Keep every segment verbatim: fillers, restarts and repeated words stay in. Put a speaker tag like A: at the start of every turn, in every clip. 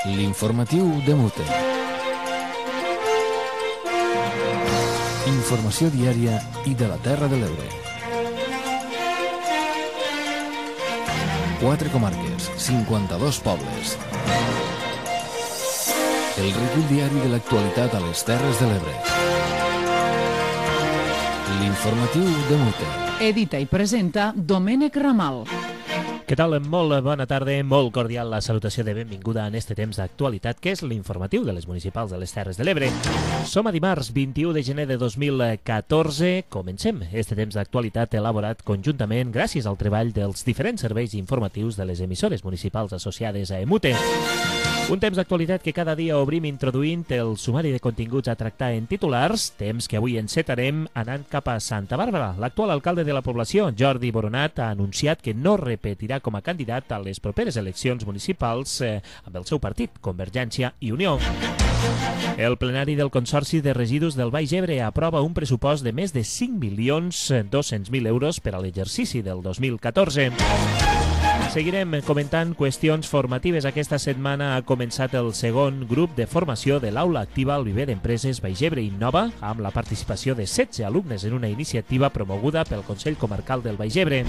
A: L'informatiu de Mute. Informació diària i de la Terra de l'Ebre. Quatre comarques, cinquanta-dos pobles. El recull diari de l'actualitat a les Terres de l'Ebre. L'informatiu de Mute.
B: Edita i presenta Domènec Ramal.
C: Què tal? Molt bona tarda, molt cordial la salutació de benvinguda en este temps d'actualitat que és l'informatiu de les municipals de les Terres de l'Ebre. Som a dimarts vint-i-u de gener de dos mil catorze. Comencem este temps d'actualitat elaborat conjuntament gràcies al treball dels diferents serveis informatius de les emissores municipals associades a Emute. Un temps d'actualitat que cada dia obrim introduint el sumari de continguts a tractar en titulars, temps que avui encetarem anant cap a Santa Bàrbara. L'actual alcalde de la població, Jordi Boronat, ha anunciat que no repetirà com a candidat a les properes eleccions municipals eh, amb el seu partit, Convergència i Unió. El plenari del Consorci de Residus del Baix Ebre aprova un pressupost de més de cinc milions dos-cents mil euros per a l'exercici del dos mil catorze. Seguirem comentant qüestions formatives. Aquesta setmana ha començat el segon grup de formació de l'Aula Activa al Viver d'Empreses Baix Ebre Innova, amb la participació de setze alumnes en una iniciativa promoguda pel Consell Comarcal del Baix Ebre.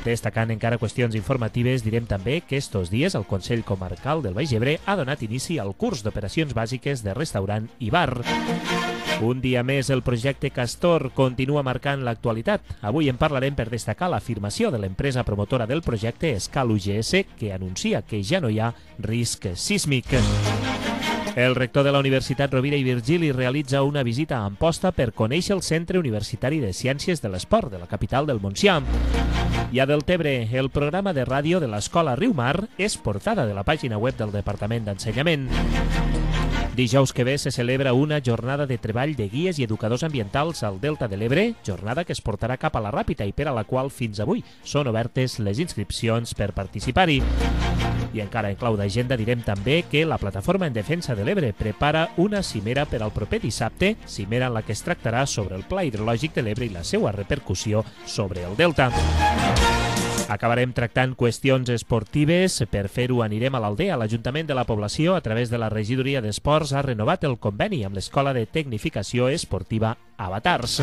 C: Destacant encara qüestions informatives, direm també que estos dies el Consell Comarcal del Baix Ebre ha donat inici al curs d'operacions bàsiques de restaurant i bar. Un dia més, el projecte Castor continua marcant l'actualitat. Avui en parlarem per destacar l'afirmació de l'empresa promotora del projecte Escal U G S, que anuncia que ja no hi ha risc sísmic. El rector de la Universitat Rovira i Virgili realitza una visita a Amposta per conèixer el Centre Universitari de Ciències de l'Esport de la capital del Montsià. I a Deltebre, el programa de ràdio de l'Escola Riumar és portada de la pàgina web del Departament d'Ensenyament. Dijous que ve se celebra una jornada de treball de guies i educadors ambientals al Delta de l'Ebre, jornada que es portarà cap a la Ràpita i per a la qual fins avui són obertes les inscripcions per participar-hi. I encara en clau d'agenda direm també que la Plataforma en Defensa de l'Ebre prepara una cimera per al proper dissabte, cimera en la que es tractarà sobre el Pla Hidrològic de l'Ebre i la seva repercussió sobre el Delta. Acabarem tractant qüestions esportives. Per fer-ho anirem a l'Aldea. L'Ajuntament de la població, a través de la Regidoria d'Esports, ha renovat el conveni amb l'Escola de Tecnificació Esportiva Avatars.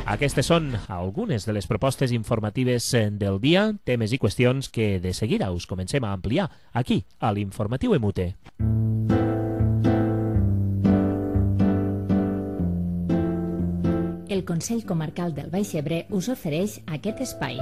C: Aquestes són algunes de les propostes informatives del dia, temes i qüestions que de seguida us comencem a ampliar aquí, a l'Informatiu Emute.
D: El Consell Comarcal del Baix Ebre us ofereix aquest espai.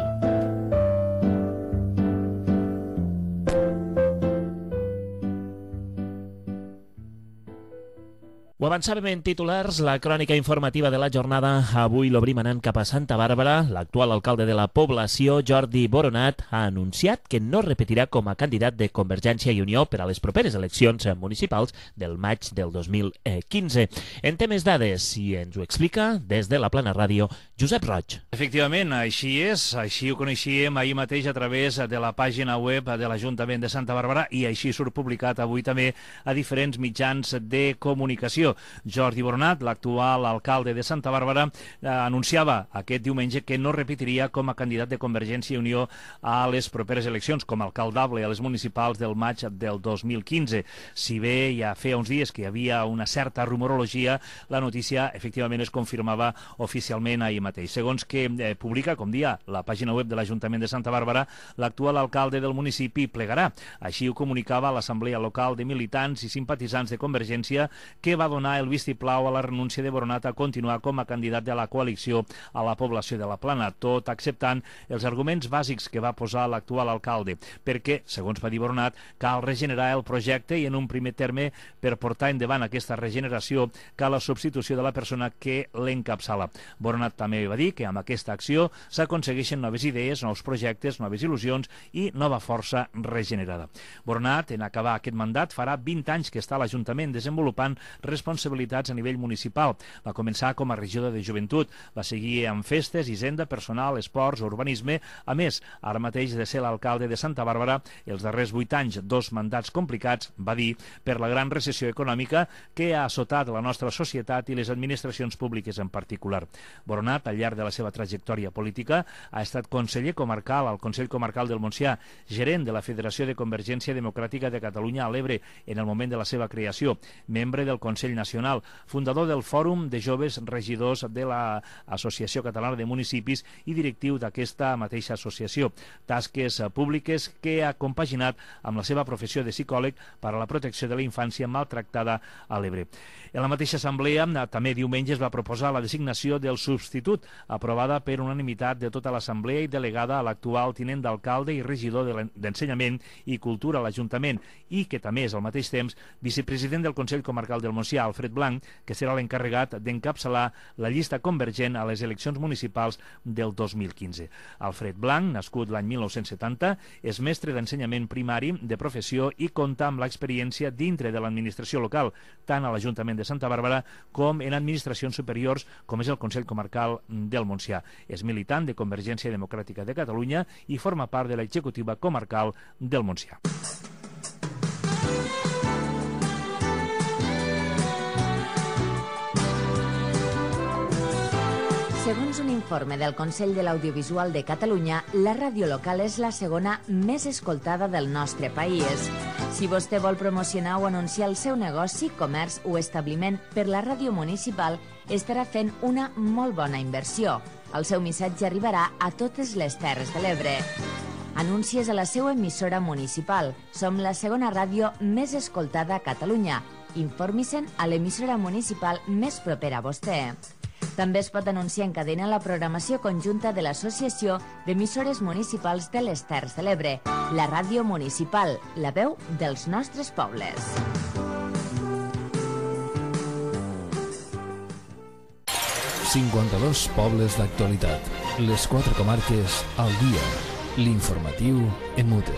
C: Ho avançàvem en titulars, la crònica informativa de la jornada. Avui l'obrim anant cap a Santa Bàrbara. L'actual alcalde de la població, Jordi Boronat, ha anunciat que no repetirà com a candidat de Convergència i Unió per a les properes eleccions municipals del maig del dos mil quinze. En temes dades, i ens ho explica des de la Plana Ràdio, Josep Roig.
E: Efectivament, així és. Així ho coneixíem ahir mateix a través de la pàgina web de l'Ajuntament de Santa Bàrbara i així surt publicat avui també a diferents mitjans de comunicació. Jordi Boronat, l'actual alcalde de Santa Bàrbara, eh, anunciava aquest diumenge que no repetiria com a candidat de Convergència i Unió a les properes eleccions com a alcaldable a les municipals del maig del dos mil quinze. Si bé ja feia uns dies que hi havia una certa rumorologia, la notícia efectivament es confirmava oficialment ahir mateix. Segons que eh, publica, com dia, la pàgina web de l'Ajuntament de Santa Bàrbara, l'actual alcalde del municipi plegarà. Així ho comunicava l'Assemblea Local de Militants i Simpatitzants de Convergència, que va donar el vistiplau a la renúncia de Boronat a continuar com a candidat de la coalició a la població de la Plana, tot acceptant els arguments bàsics que va posar l'actual alcalde, perquè, segons va dir Boronat, cal regenerar el projecte i en un primer terme, per portar endavant aquesta regeneració, cal la substitució de la persona que l'encapçala. Boronat també va dir que amb aquesta acció s'aconsegueixen noves idees, nous projectes, noves il·lusions i nova força regenerada. Boronat, en acabar aquest mandat, farà vint anys que està a l'Ajuntament desenvolupant responsabilitats responsabilitats a nivell municipal. Va començar com a regidor de joventut, va seguir amb festes, hisenda, personal, esports, urbanisme. A més, ara mateix de ser l'alcalde de Santa Bàrbara, els darrers vuit anys, dos mandats complicats, va dir, per la gran recessió econòmica que ha assotat la nostra societat i les administracions públiques en particular. Boronat al llarg de la seva trajectòria política. Ha estat conseller comarcal al Consell Comarcal del Montsià, gerent de la Federació de Convergència Democràtica de Catalunya a l'Ebre en el moment de la seva creació, membre del Consell Nacional, fundador del Fòrum de Joves Regidors de l'Associació Catalana de Municipis i directiu d'aquesta mateixa associació. Tasques públiques que ha compaginat amb la seva professió de psicòleg per a la protecció de la infància maltractada a l'Ebre. En la mateixa assemblea, també diumenge es va proposar la designació del substitut, aprovada per unanimitat de tota l'assemblea i delegada a l'actual tinent d'alcalde i regidor d'Ensenyament i Cultura a l'Ajuntament, i que també és al mateix temps vicepresident del Consell Comarcal del Montsià, Alfred Blanc, que serà l'encarregat d'encapçalar la llista convergent a les eleccions municipals del dos mil quinze. Alfred Blanc, nascut l'any mil nou-cents setanta, és mestre d'ensenyament primari de professió i compta amb l'experiència dintre de l'administració local, tant a l'Ajuntament de Santa Bàrbara com en administracions superiors, com és el Consell Comarcal del Montsià. És militant de Convergència Democràtica de Catalunya i forma part de l'executiva comarcal del Montsià.
D: Segons un informe del Consell de l'Audiovisual de Catalunya, la ràdio local és la segona més escoltada del nostre país. Si vostè vol promocionar o anunciar el seu negoci, comerç o establiment per la ràdio municipal, estarà fent una molt bona inversió. El seu missatge arribarà a totes les Terres de l'Ebre. Anuncies a la seva emissora municipal. Som la segona ràdio més escoltada a Catalunya. Informi-se'n a l'emissora municipal més propera a vostè. També es pot anunciar en cadena la programació conjunta de l'Associació d'Emissores Municipals de les Terres de l'Ebre, la ràdio municipal, la veu dels nostres pobles.
A: cinquanta-dos pobles d'actualitat. Les quatre comarques al dia. L'informatiu en mute.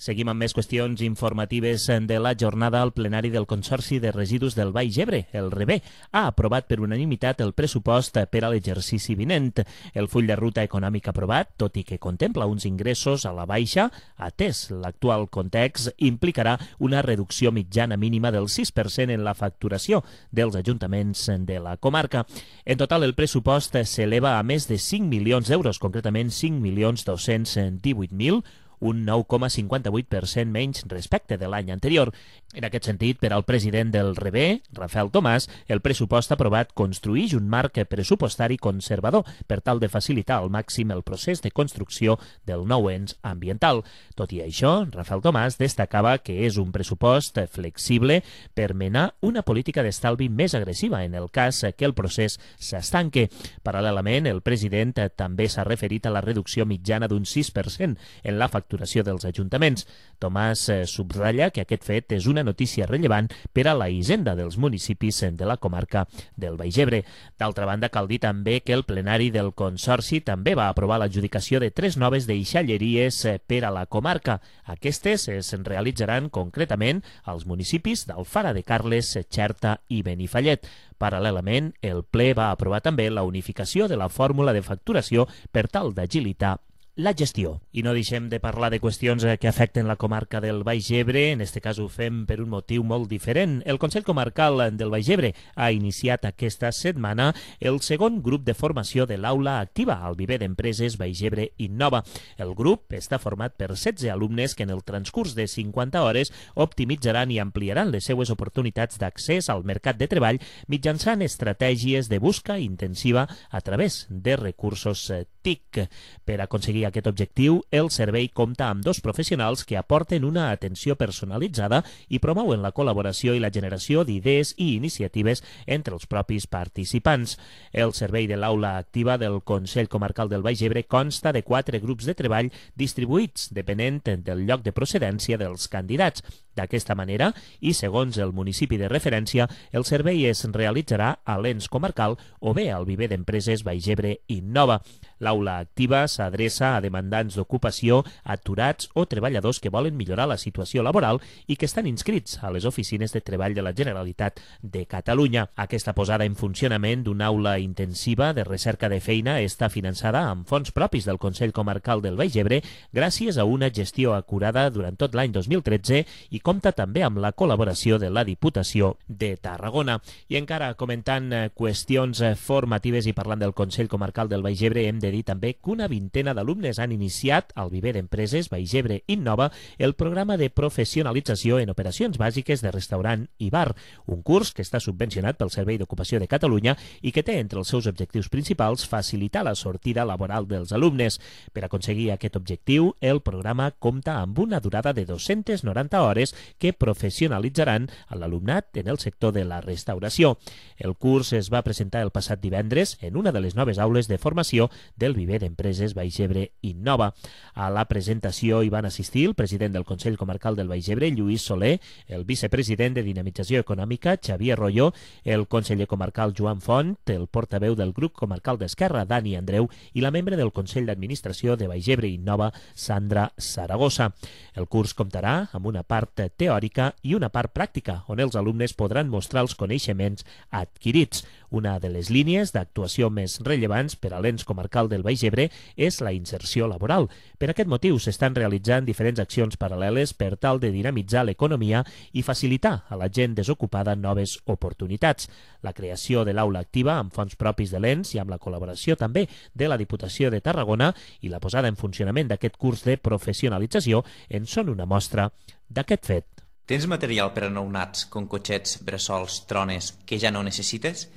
C: Seguim amb més qüestions informatives de la jornada. El plenari del Consorci de Residus del Baix Ebre, el REBE, ha aprovat per unanimitat el pressupost per a l'exercici vinent. El full de ruta econòmic aprovat, tot i que contempla uns ingressos a la baixa, atès l'actual context, implicarà una reducció mitjana mínima del sis per cent en la facturació dels ajuntaments de la comarca. En total, el pressupost s'eleva a més de cinc milions d'euros, concretament cinc milions dos-cents divuit mil, un nou coma cinquanta-vuit per cent menys respecte de l'any anterior. En aquest sentit, per al president del REBE, Rafael Tomàs, el pressupost aprovat construïx un marc pressupostari conservador per tal de facilitar al màxim el procés de construcció del nou ens ambiental. Tot i això, Rafael Tomàs destacava que és un pressupost flexible per menar una política d'estalvi més agressiva en el cas que el procés s'estanque. Paral·lelament, el president també s'ha referit a la reducció mitjana d'un sis per cent en la facturació dels ajuntaments. Tomàs subratlla que aquest fet és una notícia rellevant per a la hisenda dels municipis de la comarca del Baix Ebre. D'altra banda, cal dir també que el plenari del Consorci també va aprovar l'adjudicació de tres noves deixalleries per a la comarca. Aquestes es realitzaran concretament als municipis d'Alfara de Carles, Xerta i Benifallet. Paral·lelament, el ple va aprovar també la unificació de la fórmula de facturació per tal d'agilitar la gestió. I no deixem de parlar de qüestions que afecten la comarca del Baix Ebre. En este cas ho fem per un motiu molt diferent. El Consell Comarcal del Baix Ebre ha iniciat aquesta setmana el segon grup de formació de l'aula activa al Viver d'Empreses Baix Ebre Innova. El grup està format per setze alumnes que en el transcurs de cinquanta hores optimitzaran i ampliaran les seues oportunitats d'accés al mercat de treball mitjançant estratègies de busca intensiva a través de recursos T I C. Per aconseguir aquest objectiu, el servei compta amb dos professionals que aporten una atenció personalitzada i promouen la col·laboració i la generació d'idees i iniciatives entre els propis participants. El servei de l'aula activa del Consell Comarcal del Baix Ebre consta de quatre grups de treball distribuïts depenent del lloc de procedència dels candidats. D'aquesta manera, i segons el municipi de referència, el servei es realitzarà a l'ens comarcal o bé al Viver d'Empreses Baix Ebre Innova. L'aula activa s'adreça a demandants d'ocupació, aturats o treballadors que volen millorar la situació laboral i que estan inscrits a les oficines de treball de la Generalitat de Catalunya. Aquesta posada en funcionament d'una aula intensiva de recerca de feina està finançada amb fons propis del Consell Comarcal del Baix Ebre gràcies a una gestió acurada durant tot l'any dos mil tretze i compta també amb la col·laboració de la Diputació de Tarragona. I encara comentant qüestions formatives i parlant del Consell Comarcal del Baix Ebre, hem de dir també que una vintena d'alumnes han iniciat al Viver d'Empreses Baix Ebre Innova el programa de professionalització en operacions bàsiques de restaurant i bar, un curs que està subvencionat pel Servei d'Ocupació de Catalunya i que té entre els seus objectius principals facilitar la sortida laboral dels alumnes. Per aconseguir aquest objectiu, el programa compta amb una durada de dues-centes noranta hores que professionalitzaran a l'alumnat en el sector de la restauració. El curs es va presentar el passat divendres en una de les noves aules de formació del Viver d'Empreses Baix Ebre Innova. A la presentació hi van assistir el president del Consell Comarcal del Baix Ebre, Lluís Soler, el vicepresident de Dinamització Econòmica, Xavier Royo, el conseller comarcal Joan Font, el portaveu del grup comarcal d'Esquerra, Dani Andreu, i la membre del Consell d'Administració de Baix Ebre Innova, Sandra Saragossa. El curs comptarà amb una part teòrica i una part pràctica, on els alumnes podran mostrar els coneixements adquirits. Una de les línies d'actuació més rellevants per a l'ens comarcal del Baix Ebre és la inserció laboral. Per aquest motiu s'estan realitzant diferents accions paral·leles per tal de dinamitzar l'economia i facilitar a la gent desocupada noves oportunitats. La creació de l'aula activa amb fons propis de l'ens i amb la col·laboració també de la Diputació de Tarragona i la posada en funcionament d'aquest curs de professionalització en són una mostra d'aquest fet.
F: Tens material per a nounats com cotxets, bressols, trones que ja no necessites?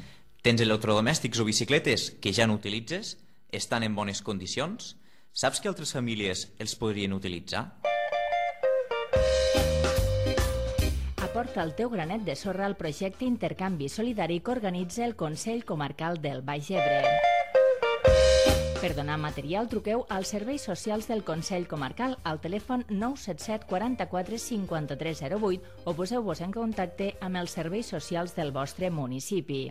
F: Tens electrodomèstics o bicicletes que ja no utilitzes? Estan en bones condicions? Saps que altres famílies els podrien utilitzar?
D: Aporta el teu granet de sorra al projecte Intercanvi Solidari que organitza el Consell Comarcal del Baix Ebre. Per donar material, truqueu als serveis socials del Consell Comarcal al telèfon nou set set quaranta-quatre cinquanta-tres zero vuit o poseu-vos en contacte amb els serveis socials del vostre municipi.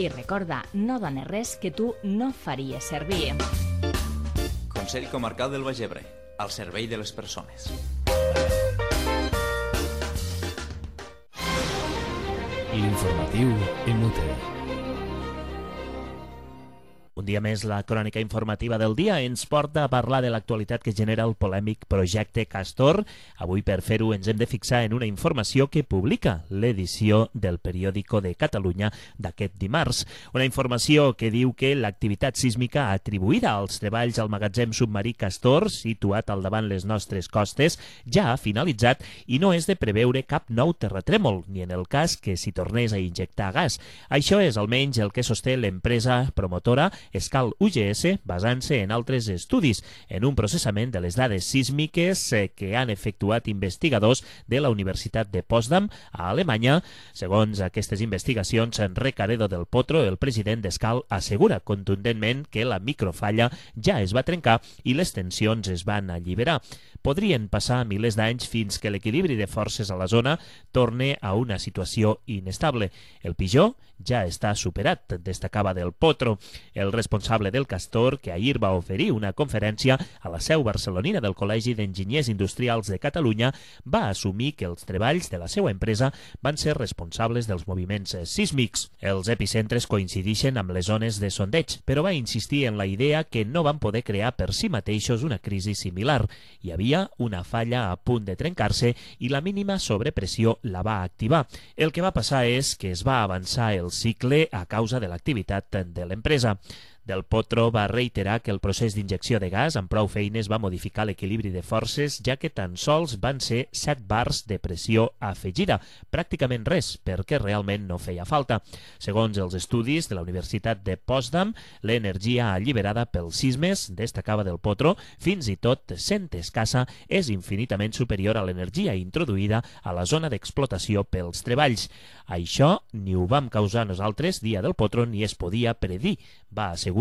D: I recorda, no dones res que tu no faries servir.
F: Consell Comarcal del Baix Ebre, al servei de les persones.
A: L'informatiu en Mute.
C: Un dia més, la crònica informativa del dia ens porta a parlar de l'actualitat que genera el polèmic projecte Castor. Avui, per fer-ho, ens hem de fixar en una informació que publica l'edició del Periòdico de Catalunya d'aquest dimarts. Una informació que diu que l'activitat sísmica atribuïda als treballs al magatzem submarí Castor, situat al davant les nostres costes, ja ha finalitzat i no és de preveure cap nou terratrèmol, ni en el cas que s'hi tornés a injectar gas. Això és almenys el que sosté l'empresa promotora Escal U G S, basant-se en altres estudis, en un processament de les dades sísmiques que han efectuat investigadors de la Universitat de Potsdam, a Alemanya. Segons aquestes investigacions, Recaredo del Potro, el president d'Escal, assegura contundentment que la microfalla ja es va trencar i les tensions es van alliberar. Podrien passar milers d'anys fins que l'equilibri de forces a la zona torne a una situació inestable. El pitjor ja està superat, destacava del Potro. El responsable del Castor, que ahir va oferir una conferència a la seu barcelonina del Col·legi d'Enginyers Industrials de Catalunya, va assumir que els treballs de la seva empresa van ser responsables dels moviments sísmics. Els epicentres coincideixen amb les zones de sondeig, però va insistir en la idea que no van poder crear per si mateixos una crisi similar. Hi havia una falla a punt de trencar-se i la mínima sobrepressió la va activar. El que va passar és que es va avançar el cicle a causa de l'activitat de l'empresa. Del Potro va reiterar que el procés d'injecció de gas amb prou feines va modificar l'equilibri de forces, ja que tan sols van ser set bars de pressió afegida, pràcticament res, perquè realment no feia falta. Segons els estudis de la Universitat de Potsdam, l'energia alliberada pels sismes, destacava del Potro, fins i tot sent escassa, és infinitament superior a l'energia introduïda a la zona d'explotació pels treballs. Això ni ho vam causar nosaltres, dia del Potro, ni es podia predir, va assegurar.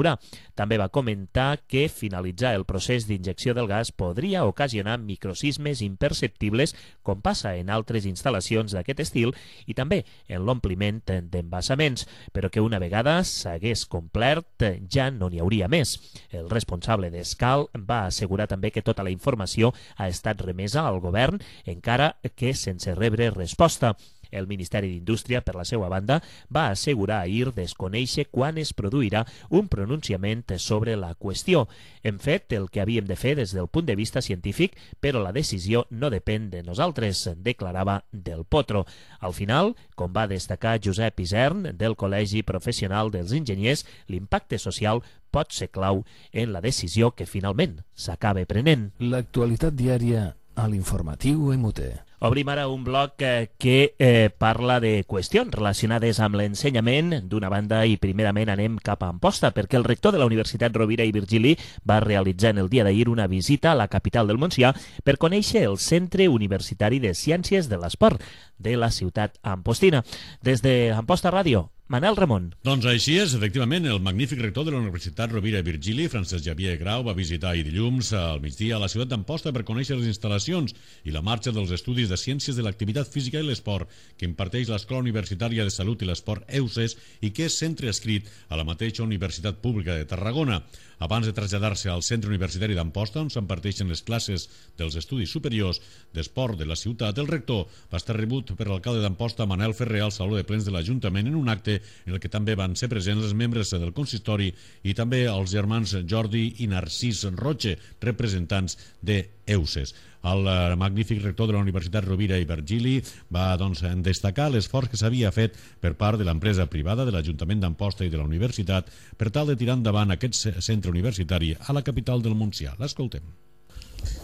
C: També va comentar que finalitzar el procés d'injecció del gas podria ocasionar microsismes imperceptibles, com passa en altres instal·lacions d'aquest estil, i també en l'ompliment d'embassaments, però que una vegada s'hagués complert ja no n'hi hauria més. El responsable d'Escal va assegurar també que tota la informació ha estat remesa al govern, encara que sense rebre resposta. El Ministeri d'Indústria, per la seva banda, va assegurar ahir desconèixer quan es produirà un pronunciament sobre la qüestió. Hem fet el que havíem de fer des del punt de vista científic, però la decisió no depèn de nosaltres, declarava Del Potro. Al final, com va destacar Josep Isern, del Col·legi Professional dels Enginyers, l'impacte social pot ser clau en la decisió que finalment s'acaba prenent.
A: L'actualitat diària a l'informatiu M U T.
C: Obrim ara un bloc eh, que eh, parla de qüestions relacionades amb l'ensenyament d'una banda i primerament anem cap a Amposta perquè el rector de la Universitat Rovira i Virgili va realitzar en el dia d'ahir una visita a la capital del Montsià per conèixer el Centre Universitari de Ciències de l'Esport de la ciutat ampostina. Des de Amposta Ràdio, Manel Ramon.
G: Doncs així és, efectivament, el magnífic rector de la Universitat Rovira i Virgili, Francesc Xavier Grau, va visitar ahir dilluns al migdia a la ciutat d'Amposta per conèixer les instal·lacions i la marxa dels estudis de Ciències de l'Activitat Física i l'Esport que imparteix l'Escola Universitària de Salut i l'Esport E U S E S i que és centre adscrit a la mateixa Universitat Pública de Tarragona. Abans de traslladar-se al Centre Universitari d'Amposta, on s'imparteixen les classes dels estudis superiors d'esport de la ciutat, el rector va estar rebut per l'alcalde d'Amposta, Manel Ferrer, al Saló de Plens de l'Ajuntament en un acte en el que també van ser presents els membres del consistori i també els germans Jordi i Narcís Roche, representants de E U S E S. El magnífic rector de la Universitat Rovira i Virgili va doncs, destacar l'esforç que s'havia fet per part de l'empresa privada, de l'Ajuntament d'Amposta i de la Universitat per tal de tirar endavant aquest centre universitari a la capital del Montsià. L'escoltem.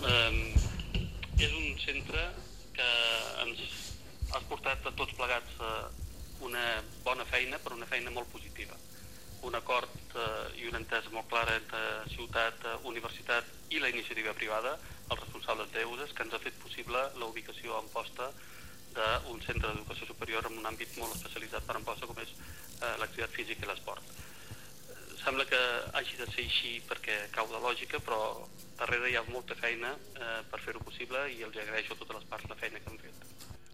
H: Um, és un centre que ens ha portat a tots plegats uh, una bona feina, però una feina molt positiva. Un acord eh, i una entesa molt clara entre ciutat, eh, universitat i la iniciativa privada, els responsables d'E U S E S, que ens ha fet possible la ubicació a Amposta d'un centre d'educació superior en un àmbit molt especialitzat per Amposta, com és eh, l'activitat física i l'esport. Eh, sembla que hagi de ser així perquè cau de lògica, però darrere hi ha molta feina eh, per fer-ho possible i els agraeixo a totes les parts la feina que han fet.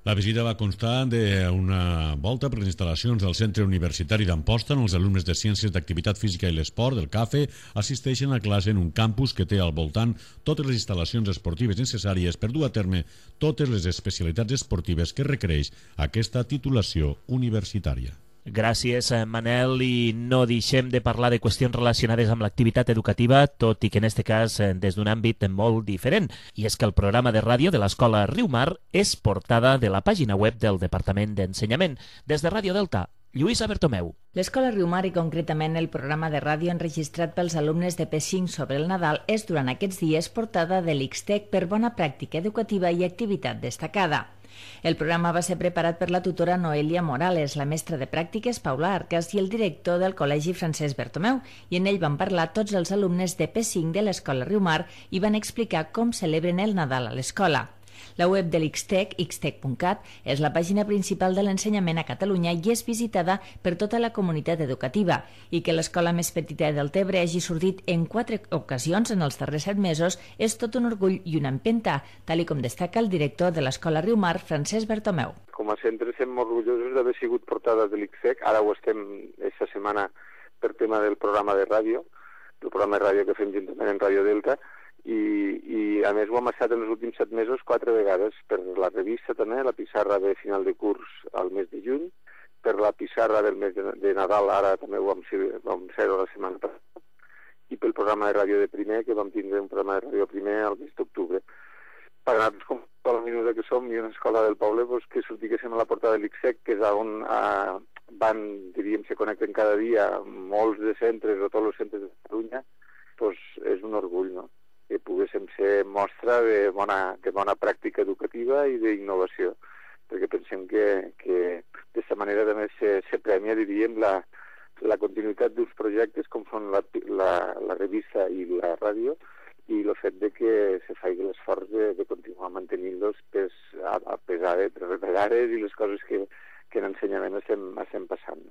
G: La visita va constar d'una volta per les instal·lacions del Centre Universitari d'Amposta on els alumnes de Ciències d'Activitat Física i l'Esport del CAFE assisteixen a classe en un campus que té al voltant totes les instal·lacions esportives necessàries per dur a terme totes les especialitats esportives que requereix aquesta titulació universitària.
C: Gràcies, Manel, i no deixem de parlar de qüestions relacionades amb l'activitat educativa, tot i que en aquest cas des d'un àmbit molt diferent. I és que el programa de ràdio de l'Escola Riumar és portada de la pàgina web del Departament d'Ensenyament. Des de Ràdio Delta, Lluïsa Bertomeu.
D: L'Escola Riumar i concretament el programa de ràdio enregistrat pels alumnes de P cinc sobre el Nadal és durant aquests dies portada de l'X T E C per bona pràctica educativa i activitat destacada. El programa va ser preparat per la tutora Noelia Morales, la mestra de pràctiques Paula Arcas i el director del Col·legi Francesc Bertomeu, i en ell van parlar tots els alumnes de P cinc de l'Escola Riumar i van explicar com celebren el Nadal a l'escola. La web de l'X T E C, x tec punt cat, és la pàgina principal de l'ensenyament a Catalunya i és visitada per tota la comunitat educativa, i que l'escola més petita del Tebre hagi sortit en quatre ocasions en els darrers set mesos és tot un orgull i una empenta, tal i com destaca el director de l'Escola Riumar, Francesc Bertomeu.
I: Com a centre estem molt orgullosos d'haver sigut portada de l'X T E C, ara ho estem aquesta setmana per tema del programa de ràdio, el programa de ràdio que fem juntament en Ràdio Delta, I, i a més ho hem estat en els últims set mesos quatre vegades per la revista també, la pissarra de final de curs al mes de juny, per la pissarra del mes de, de Nadal, ara també ho vam ser, vam ser la setmana passada, i pel programa de ràdio de primer, que vam tindre un programa de ràdio primer al mes d'octubre. Per anar-nos com a la minuta que som i una escola del poble, doncs, que sortiguéssim a la portada de l'X T E C, que és on eh, van, diríem, se connecten cada dia molts de centres o tots els centres de Catalunya, doncs és un orgull, no?, que poguéssim ser mostra de bona, de bona pràctica educativa i d'innovació, perquè pensem que, que d'aquesta manera també se, se premia, diríem, la, la continuïtat d'uns projectes com són la, la, la revista i la ràdio i el fet de que se faci l'esforç de, de continuar mantenint-los pues, a, a pesar de les retallades i les coses que, que en ensenyament estem, estem passant.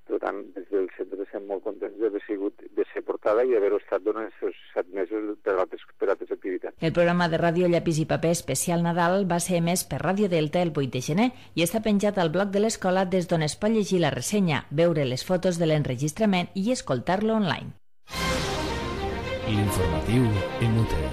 I: Per tant, des del centre estem molt contents d'haver sigut, de ser portada i haver-ho estat durant aquests set mesos per altres, per altres activitats.
D: El programa de ràdio Llapis i Paper especial Nadal va ser emès per Ràdio Delta el vuit de gener i està penjat al blog de l'escola des d'on es pot llegir la ressenya, veure les fotos de l'enregistrament i escoltar-lo online.
A: L'informatiu M U T.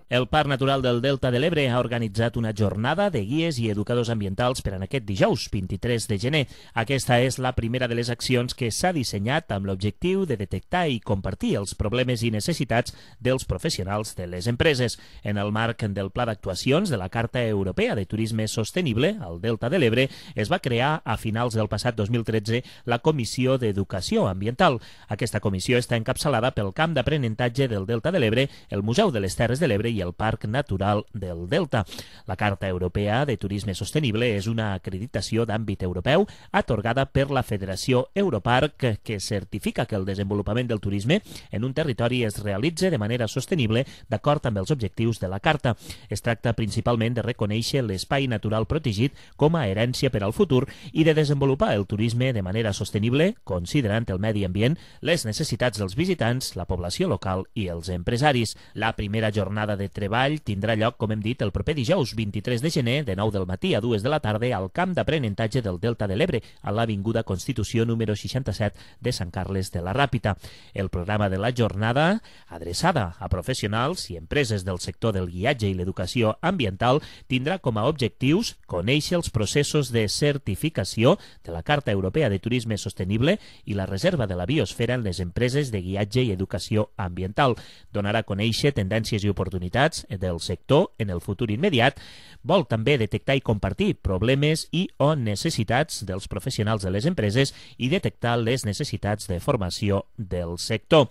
C: El Parc Natural del Delta de l'Ebre ha organitzat una jornada de guies i educadors ambientals per en aquest dijous, vint-i-tres de gener. Aquesta és la primera de les accions que s'ha dissenyat amb l'objectiu de detectar i compartir els problemes i necessitats dels professionals de les empreses. En el marc del Pla d'actuacions de la Carta Europea de Turisme Sostenible al Delta de l'Ebre, es va crear a finals del passat dos mil tretze la Comissió d'Educació Ambiental. Aquesta comissió està encapçalada pel Camp d'Aprenentatge del Delta de l'Ebre, el Museu de les Terres de l'Ebre i el Parc Natural del Delta. La Carta Europea de Turisme Sostenible és una acreditació d'àmbit europeu atorgada per la Federació Europarc que certifica que el desenvolupament del turisme en un territori es realitza de manera sostenible d'acord amb els objectius de la Carta. Es tracta principalment de reconèixer l'espai natural protegit com a herència per al futur i de desenvolupar el turisme de manera sostenible, considerant el medi ambient, les necessitats dels visitants, la població local i els empresaris. La primera jornada de treball tindrà lloc, com hem dit, el proper dijous vint-i-tres de gener, de nou del matí a dues de la tarda, al Camp d'Aprenentatge del Delta de l'Ebre, a l'Avinguda Constitució número seixanta-set de Sant Carles de la Ràpita. El programa de la jornada, adreçada a professionals i empreses del sector del guiatge i l'educació ambiental, tindrà com a objectius conèixer els processos de certificació de la Carta Europea de Turisme Sostenible i la reserva de la biosfera en les empreses de guiatge i educació ambiental. Donarà a conèixer tendències i oportunitats del sector en el futur immediat. Vol també detectar i compartir problemes i o necessitats dels professionals de les empreses i detectar les necessitats de formació del sector.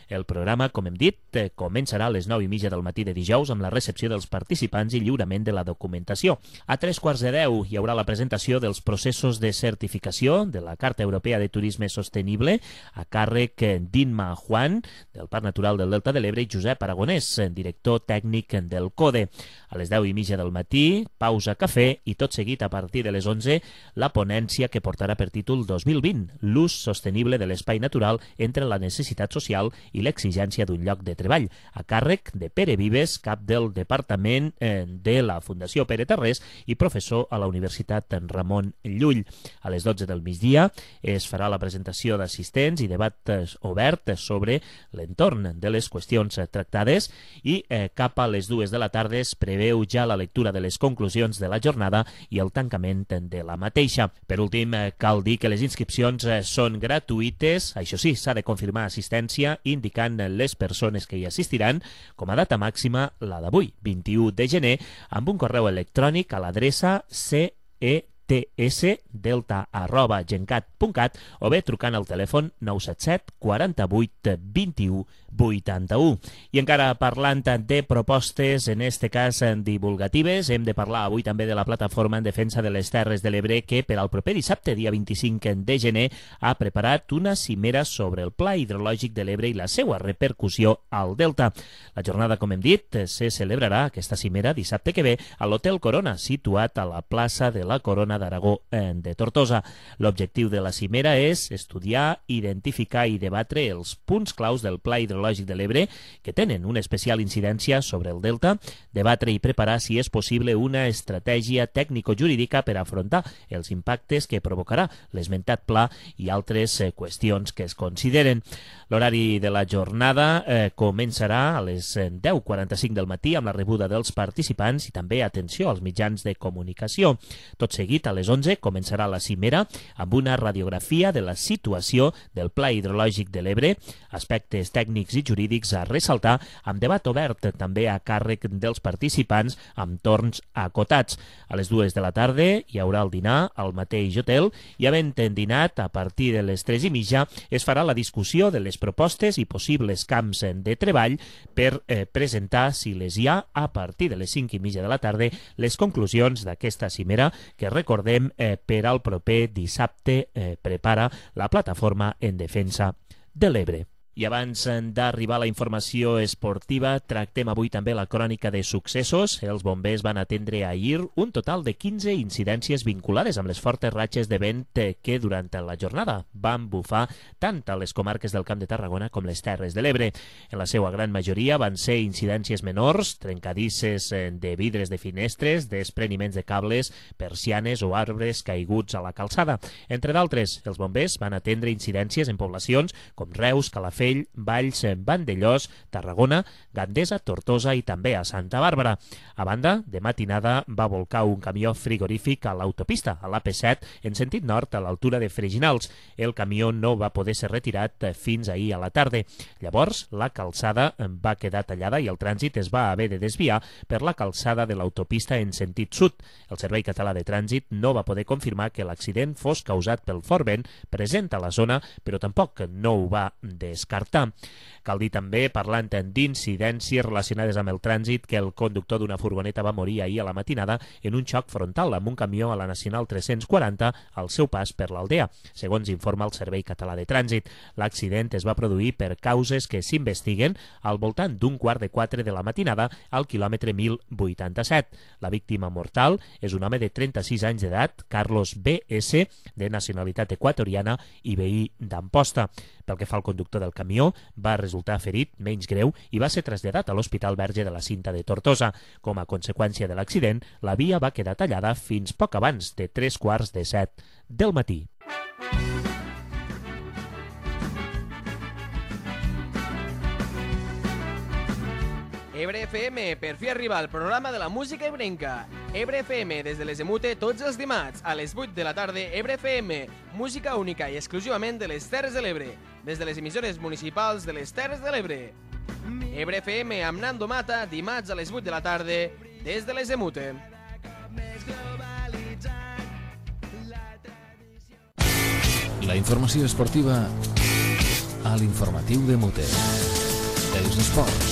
C: El programa, com hem dit, començarà a les nou i mitja del matí de dijous amb la recepció dels participants i lliurament de la documentació. A tres quarts de deu hi haurà la presentació dels processos de certificació de la Carta Europea de Turisme Sostenible a càrrec d'Inma Juan, del Parc Natural del Delta de l'Ebre, i Josep Aragonès, director tècnic del CODE. A les deu i mitja del matí, pausa cafè i tot seguit a partir de les onze la ponència que portarà per títol dos mil vint, l'ús sostenible de l'espai natural entre la necessitat social i l'exigència d'un lloc de treball, a càrrec de Pere Vives, cap del Departament de la Fundació Pere Tarrés i professor a la Universitat Ramon Llull. A les dotze del migdia es farà la presentació d'assistents i debat obert sobre l'entorn de les qüestions tractades i eh, cap a les dues de la tarda es preveu ja la lectura de les conclusions de la jornada i el tancament de la mateixa. Per últim, eh, cal dir que les inscripcions eh, són gratuïtes, això sí, s'ha de confirmar assistència i indicant les persones que hi assistiran, com a data màxima la d'avui, vint-i-u de gener, amb un correu electrònic a l'adreça c e t s delta arroba gencat punt cat o bé trucant al telèfon nou set set quaranta-vuit vint-i-u vuitanta-u. I encara parlant de propostes, en este cas divulgatives, hem de parlar avui també de la plataforma en defensa de les Terres de l'Ebre que per al proper dissabte, dia vint-i-cinc de gener, ha preparat una cimera sobre el Pla Hidrològic de l'Ebre i la seva repercussió al Delta. La jornada, com hem dit, se celebrarà aquesta cimera dissabte que ve a l'Hotel Corona, situat a la plaça de la Corona d'Aragó de Tortosa. L'objectiu de la cimera és estudiar, identificar i debatre els punts claus del Pla Hidrològic de l'Ebre que tenen una especial incidència sobre el Delta, debatre i preparar si és possible una estratègia tècnico-jurídica per afrontar els impactes que provocarà l'esmentat pla i altres eh, qüestions que es consideren. L'horari de la jornada eh, començarà a les deu quaranta-cinc del matí amb la rebuda dels participants i també atenció als mitjans de comunicació. Tot seguit, a les onze, començarà la cimera amb una radiografia de la situació del Pla Hidrològic de l'Ebre, aspectes tècnics i jurídics a ressaltar, amb debat obert també a càrrec dels participants amb torns acotats. A les dues de la tarda hi haurà el dinar al mateix hotel i havent dinat a partir de les tres i mitja es farà la discussió de les propostes i possibles camps de treball per eh, presentar, si les hi ha, a partir de les cinc i mitja de la tarda, les conclusions d'aquesta cimera que recordem eh, per al proper dissabte eh, prepara la plataforma en defensa de l'Ebre. I abans d'arribar a la informació esportiva, tractem avui també la crònica de successos. Els bombers van atendre ahir un total de quinze incidències vinculades amb les fortes ratxes de vent que durant la jornada van bufar tant a les comarques del Camp de Tarragona com les Terres de l'Ebre. En la seva gran majoria van ser incidències menors, trencadisses de vidres de finestres, despreniments de cables, persianes o arbres caiguts a la calçada. Entre d'altres, els bombers van atendre incidències en poblacions com Reus, Calafell, Calafell, Valls, Vandellós, Tarragona, Gandesa, Tortosa i també a Santa Bàrbara. A banda, de matinada va volcar un camió frigorífic a l'autopista, a l'A P set, en sentit nord a l'altura de Freginals. El camió no va poder ser retirat fins ahir a la tarda. Llavors, la calçada va quedar tallada i el trànsit es va haver de desviar per la calçada de l'autopista en sentit sud. El Servei Català de Trànsit no va poder confirmar que l'accident fos causat pel fort vent present a la zona, però tampoc no ho va descartar. Cal dir també, parlant d'incidències relacionades amb el trànsit, que el conductor d'una furgoneta va morir ahir a la matinada en un xoc frontal amb un camió a la Nacional tres-cents quaranta al seu pas per l'Aldea, segons informa el Servei Català de Trànsit. L'accident es va produir per causes que s'investiguen al voltant d'un quart de quatre de la matinada al quilòmetre mil vuitanta-set. La víctima mortal és un home de trenta-sis anys d'edat, Carlos B S, de nacionalitat equatoriana i veí d'Amposta. Pel que fa al conductor del camió, va resultar ferit menys greu i va ser traslladat a l'Hospital Verge de la Cinta de Tortosa. Com a conseqüència de l'accident, la via va quedar tallada fins poc abans de tres quarts de set del matí.
J: Ebre F M, per fi arriba el programa de la música ebrenca. Ebre F M, des de les Emute, tots els dimarts, a les vuit de la tarda, Ebre F M, música única i exclusivament de les Terres de l'Ebre, des de les emissores municipals de les Terres de l'Ebre. Ebre F M amb Nando Mata, dimarts a les vuit de la tarda, des de les Emute.
A: La informació esportiva a l'informatiu de Mute. Els esports.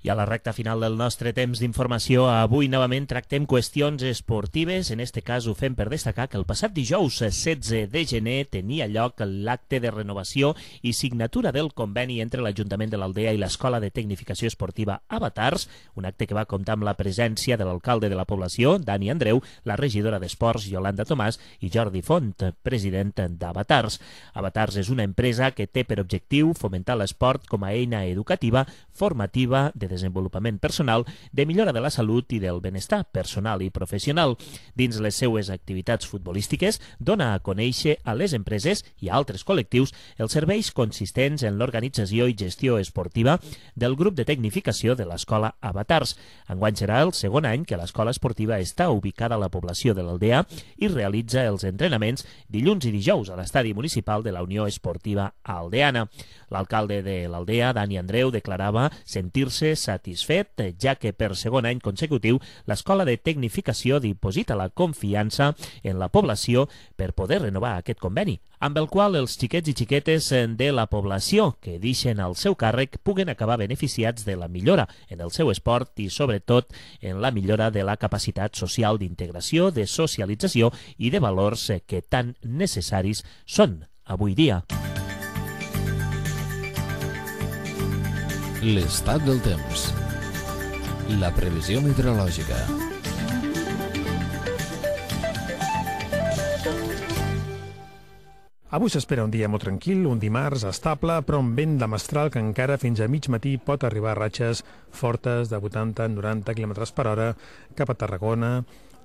C: I a la recta final del nostre temps d'informació, avui novament tractem qüestions esportives. En este cas ho fem per destacar que el passat dijous setze de gener tenia lloc l'acte de renovació i signatura del conveni entre l'Ajuntament de l'Aldea i l'Escola de Tecnificació Esportiva Avatars, un acte que va comptar amb la presència de l'alcalde de la població, Dani Andreu, la regidora d'Esports, Yolanda Tomàs, i Jordi Font, president d'Avatars. Avatars és una empresa que té per objectiu fomentar l'esport com a eina educativa, formativa, de desenvolupament personal, de millora de la salut i del benestar personal i professional. Dins les seues activitats futbolístiques, dona a conèixer a les empreses i a altres col·lectius els serveis consistents en l'organització i gestió esportiva del grup de tecnificació de l'Escola Avatars. Enguany serà el segon any que l'Escola Esportiva està ubicada a la població de l'Aldea i realitza els entrenaments dilluns i dijous a l'estadi municipal de la Unió Esportiva Aldeana. L'alcalde de l'Aldea, Dani Andreu, declarava sentir-se satisfet, ja que per segon any consecutiu l'Escola de Tecnificació diposita la confiança en la població per poder renovar aquest conveni, amb el qual els xiquets i xiquetes de la població que deixen al seu càrrec puguen acabar beneficiats de la millora en el seu esport i, sobretot, en la millora de la capacitat social d'integració, de socialització i de valors que tan necessaris són avui dia.
A: L'estat del temps. La previsió meteorològica.
K: Avui s'espera un dia molt tranquil, un dimarts estable, però amb vent de mestral que encara fins a mig matí pot arribar a ratxes fortes de vuitanta a noranta quilòmetres per hora cap a Tarragona,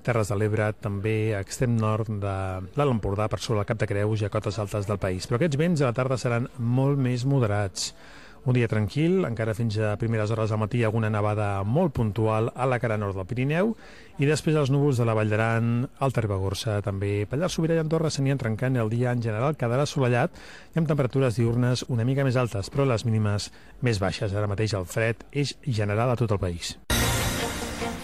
K: Terres de l'Ebre, també a extrem nord de l'Alt Empordà, per sobre el Cap de Creus i a cotes altes del país. Però aquests vents a la tarda seran molt més moderats. Un dia tranquil, encara fins a primeres hores del matí alguna nevada molt puntual a la cara nord del Pirineu i després els núvols de la Vall d'Aran, Alta Ribagorça, també Pallars Sobirà i Andorra s'anien trencant i el dia en general quedarà assolellat i amb temperatures diurnes una mica més altes, però les mínimes més baixes. Ara mateix el fred és general a tot el país.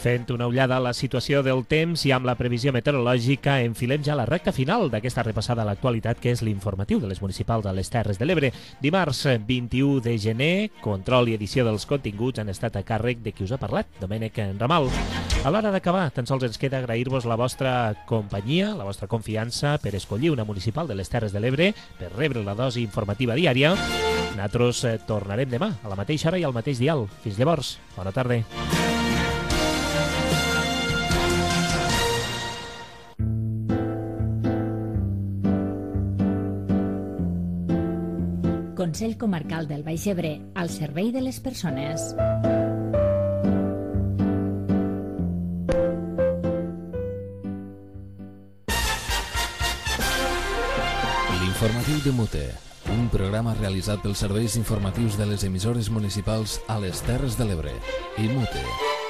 C: Fent una ullada a la situació del temps i amb la previsió meteorològica, enfilem ja la recta final d'aquesta repassada a l'actualitat, que és l'informatiu de les municipals de les Terres de l'Ebre. Dimarts vint-i-u de gener, control i edició dels continguts han estat a càrrec de qui us ha parlat, Domènec Ramal. A l'hora d'acabar, tan sols ens queda agrair-vos la vostra companyia, la vostra confiança per escollir una municipal de les Terres de l'Ebre, per rebre la dosi informativa diària. Nosaltres tornarem demà, a la mateixa hora i al mateix dial. Fins llavors, bona tarda.
D: Consell Comarcal del Baix Ebre, al servei de les persones.
A: L'informatiu de Mute. un programa realitzat pels serveis informatius de les emissores municipals a les Terres de l'Ebre. I Mute.